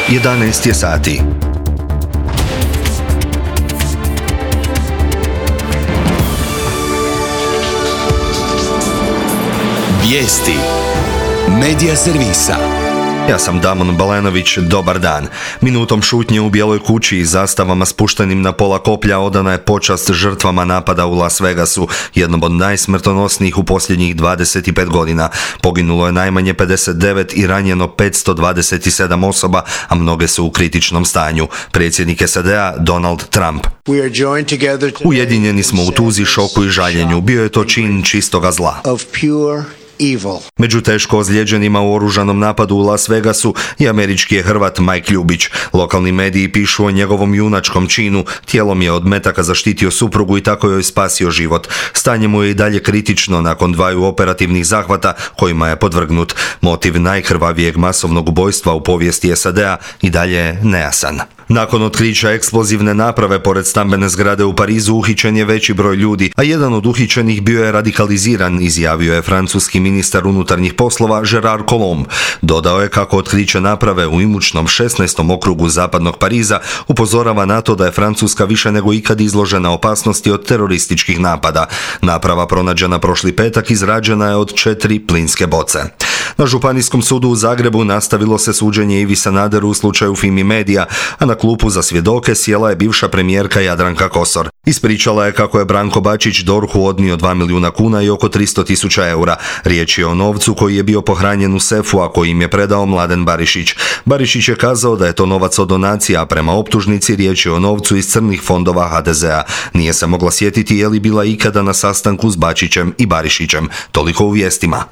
11 je sati. Vijesti Medija servisa. Ja sam Damon Balenović, dobar dan. Minutom šutnje u Bijeloj kući i zastavama spuštenim na pola koplja odana je počast žrtvama napada u Las Vegasu, jednom od najsmrtonosnijih u posljednjih 25 godina. Poginulo je najmanje 59 i ranjeno 527 osoba, a mnoge su u kritičnom stanju. Predsjednik SAD-a Donald Trump. Ujedinjeni smo u tuzi, šoku i žaljenju. Bio je to čin čistoga zla. Među teško ozlijeđenima u oružanom napadu u Las Vegasu i američki je Hrvat Mike Ljubić. Lokalni mediji pišu o njegovom junačkom činu. Tijelom je od metaka zaštitio suprugu i tako joj spasio život. Stanje mu je i dalje kritično nakon 2 operativnih zahvata kojima je podvrgnut. Motiv najkrvavijeg masovnog ubojstva u povijesti SAD-a i dalje je nejasan. Nakon otkrića eksplozivne naprave pored stambene zgrade u Parizu uhićen je veći broj ljudi, a jedan od uhićenih bio je radikaliziran, izjavio je francuski ministar unutarnjih poslova Gérard Collomb. Dodao je kako otkriće naprave u imućnom 16. okrugu zapadnog Pariza upozorava na to da je Francuska više nego ikad izložena opasnosti od terorističkih napada. Naprava pronađena prošli petak izrađena je od 4 plinske boce. Na Županijskom sudu u Zagrebu nastavilo se suđenje Ivi Sanaderu u slučaju Fimi Media, a na klupu za svjedoke sjela je bivša premijerka Jadranka Kosor. Ispričala je kako je Branko Bačić DORH-u odnio 2 milijuna kuna i oko 300.000 eura. Riječ je o novcu koji je bio pohranjen u sefu, a koji im je predao Mladen Barišić. Barišić je kazao da je to novac od donacija, a prema optužnici riječ je o novcu iz crnih fondova HDZ-a. Nije se mogla sjetiti je li bila ikada na sastanku s Bačićem i Barišićem. Toliko u vijestima.